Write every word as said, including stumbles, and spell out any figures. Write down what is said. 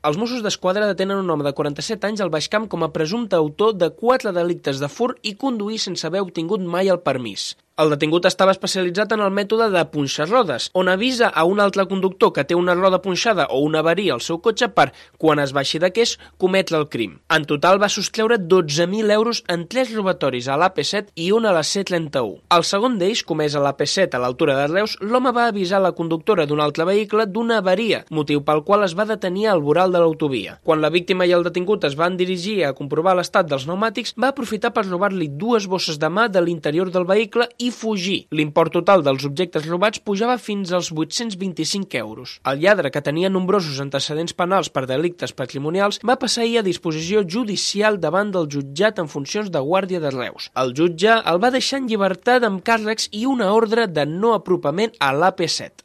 Els Mossos d'Esquadra detenen un home de quaranta-set anys al Baix Camp com a presumpte autor de quatre delictes de furt i conduir sense haver obtingut mai el permís. El detingut estava especialitzat en el mètode de punxar-rodes, on avisa a un altre conductor que té una roda punxada o una avaria al seu cotxe per, quan es baixi de queix, cometre el crim. En total va sostreure dotze mil euros en tres robatoris a l'A P set i un a la C trenta-u. Al segon d'ells, comès a l'A P set a l'altura de Reus, l'home va avisar la conductora d'un altre vehicle d'una avaria, motiu pel qual es va detenir al voral de l'autovia. Quan la víctima i el detingut es van dirigir a comprovar l'estat dels pneumàtics, va aprofitar per robar-li dues bosses de mà de l'interior del vehicle i fugir. L'import total dels objectes robats pujava fins als vuit-cents vint-i-cinc euros. El lladre, que tenia nombrosos antecedents penals per delictes patrimonials, va passar ahir a disposició judicial davant del jutjat en funcions de guàrdia de Reus. El jutge el va deixar en llibertat amb càrrecs i una ordre de no apropament a l'A P set.